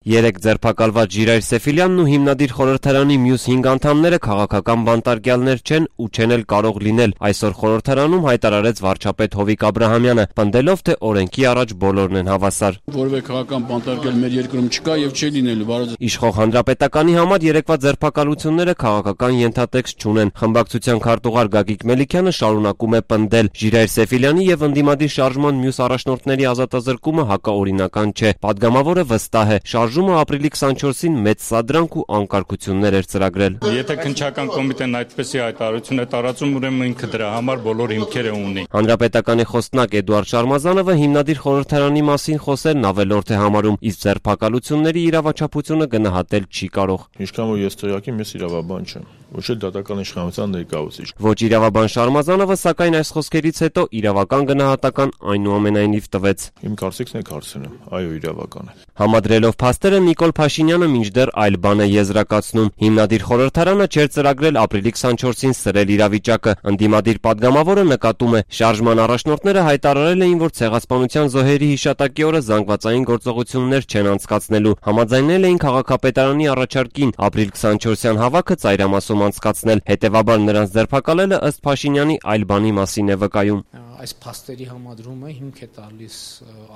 Երեկ ձերբակալված Ժիրայր Սեֆիլյանն ու հիմնադիր խորհրդարանի մյուս 5 անդամները քաղաքական բանտարկյալներ չեն ու չեն էլ կարող լինել, այսօր խորհրդարանում հայտարարեց վարչապետ Հովիկ Աբրահամյանը, պնդելով, թե օրենքի առաջ բոլորն են հավասար։ Որևէ քաղաքական բանտարկյալ մեր երկրում չկա եւ չի լինելու։ Իշխող Հանրապետականի համար երեկվա ձերբակալությունները քաղաքական ենթատեքստ չունեն։ Խմբակցության քարտուղար Գագիկ Մելիքյանը շարունակում է պնդել. Ժիրայր Սեֆիլյանի եւ ընդդիմադիր շարժման մյուս առաջնորդների ազատազրկումը հակաօրինական չէ։ Պատգամավորը վստահ է, շարժումը ապրիլի 24-ին մեծ սադրանք ու անկարգություններ էր ծրագրել։ Եթե քննչական կոմիտեն այդպեսի հայտարարություն է տարածում, ուրեմն ինքը դրա համար բոլոր հիմքերը ունի։ Հանրապետականի խոսնակ Էդուարդ Շարմազանովը հիմնադիր խորհրդարանի մասին խոսելն ավելորդ է համարում, իսկ ձերբակալությունների իրավաչափությունը գնահատել չի կարող։ Ինչքան որ ես տեղյակ եմ, ես իրավաբան չեմ, ոչ էլ դատական իշխանության ներկայացուցիչ։ Ոչ իրավաբան Շարմազանովը, սակայն այս խոսքերից հետո իրավական գնահատական այնուամենայնիվ տվեց։ Իմ կարծիքն է հարցնում, այո, իրավական է։ Համադրելով փաստերը Նիկոլ Փաշինյանը մինչդեռ այլ բան է եզրակացնում։ Հիմնադիր խորհրդարանը չէր ծրագրել ապրիլի 24-ին սրել իրավիճակը։ Ընդդիմադիր պատգամավորը նկատում է, շարժման առաջնորդները հայտարարել էին, որ ցեղասպանության զոհերի հիշատակի օրը զանգվածային գործողություններ չեն անցկացնելու։ Համաձայնել էին քաղաքապետարանի առաջարկին ապրիլ 24-յան հավաքը ծայրամասում անցկացնել։ Հետևաբար նրանց ձերբակալելը ըստ Փաշինյանի այլ բանի մասին է վկայում։ Այս փաստերի համադրումը հիմք է տալիս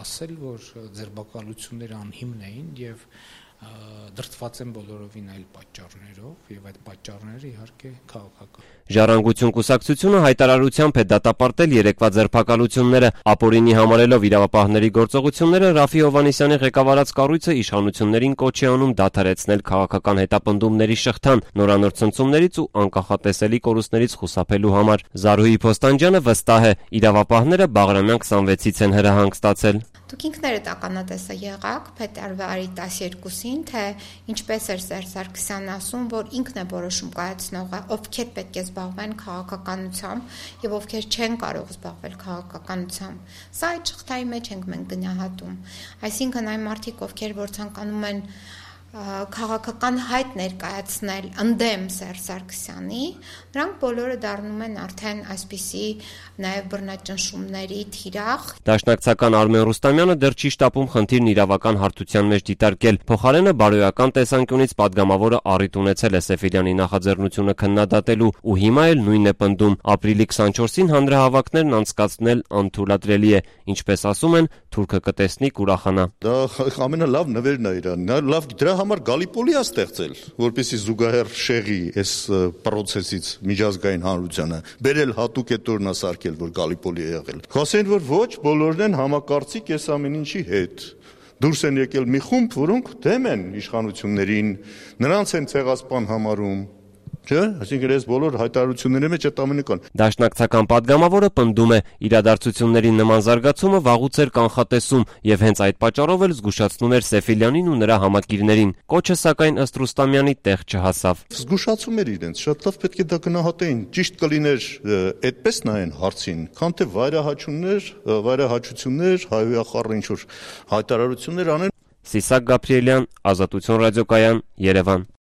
ասել, որ ձերբակալությունները անհիմն էին եւ դրդված են բոլորովին այլ պատճառներով եւ այդ պատճառները իհարկե քաղաքական։ Ժառանգություն կուսակցությունը հայտարարությամբ է դատապարտել երեկվա ձերբակալությունները, ապօրինի համարելով իրավապահների գործողությունները, Ռաֆի Հովհաննիսյանի ղեկավարած կառույցը իշխանություններին կոչ է անում դադարեցնել քաղաքական հետապնդումների շղթան, նորանոր ցնցումներից ու անկախատեսելի կորուստներից խուսափելու համար։ Զարուհի Փոստանջյանը վստահ է, իրավապահները Բաղրամյան 26-ից են հրահանգ ստացել։ Դուք ինքներդ ականատեսը եղաք փետրվարի 12-ին, թե ինչպես էր Սերժ Սարգսյանն ասում, որ ինքն է որոշում կայացնողը, ովքեր պետք է զբաղվեն քաղաքականությամբ եւ ովքեր չեն կարող զբաղվել քաղաքականությամբ։ Սա այդ շղթայի մեջ ենք մենք գնահատում։ Այսինքն այն մարդիկ, ովքեր որ ցանկանում են քաղաքական հայտ ներկայացնել ընդդեմ Սերժ Սարգսյանի, նրանք բոլորը դառնում են արդեն այսպիսի նաև բռնաճնշումների թիրախ։ Դաշնակցական Արմեն Ռուստամյանը դեռ չի շտապում խնդիրն իրավական հարթության մեջ դիտարկել։ Փոխարենը բարոյական տեսանկյունից պատգամավորը առիթ ունեցել է Սեֆիլյանի նախաձեռնությունը քննադատելու ու հիմա էլ նույնն է պնդում։ Ապրիլի 24-ին հանրահավաքներն անցկացնել անթույլատրելի է, ինչպես ասում են, թուրքը կտեսնի կուրախանա։ Դա ամենալավ նվերն է իրան։ Նա լավ դրա համար Գալիպոլի է ստեղծել, որպեսզի զուգահեռ շեղի այս պրոցեսից միջազգային հանրությանը, բերել հատուկ այդ օրնա սարքել, որ Գալիպոլի է եղել։ Խոսեն, որ ոչ, բոլորն են համակարծիք այս ամեն ինչի հետ։ Դուրս են եկել մի խումբ, որոնք դեմ են իշխանություններին, նրանց են ցեղասպան համարում։ Չէ՞, այսինքն այս բոլոր հայտարարությունների մեջ այդ ամենը կան։ Դաշնակցական պատգամավորը պնդում է, իրադարձությունների նման զարգացումը վաղուց էր կանխատեսում եւ հենց այդ պատճառով էլ զգուշացնում էր Սեֆիլյանին ու նրա համակիրներին։ Կոչը սակայն ըստ Ռուստամյանի տեղ չհասավ։ Զգուշացում էր իրենց, շատ լավ պետք է դա գնահատեին։ Ճիշտ կլիներ այդպես նայեն հարցին, քան թե վայրահաչություններ, հայհոյախառն ինչ որ հայտարարություններ անեն։ Սիսակ Գաբրիելյան, Ազատություն ռադիոկայան, Երևան։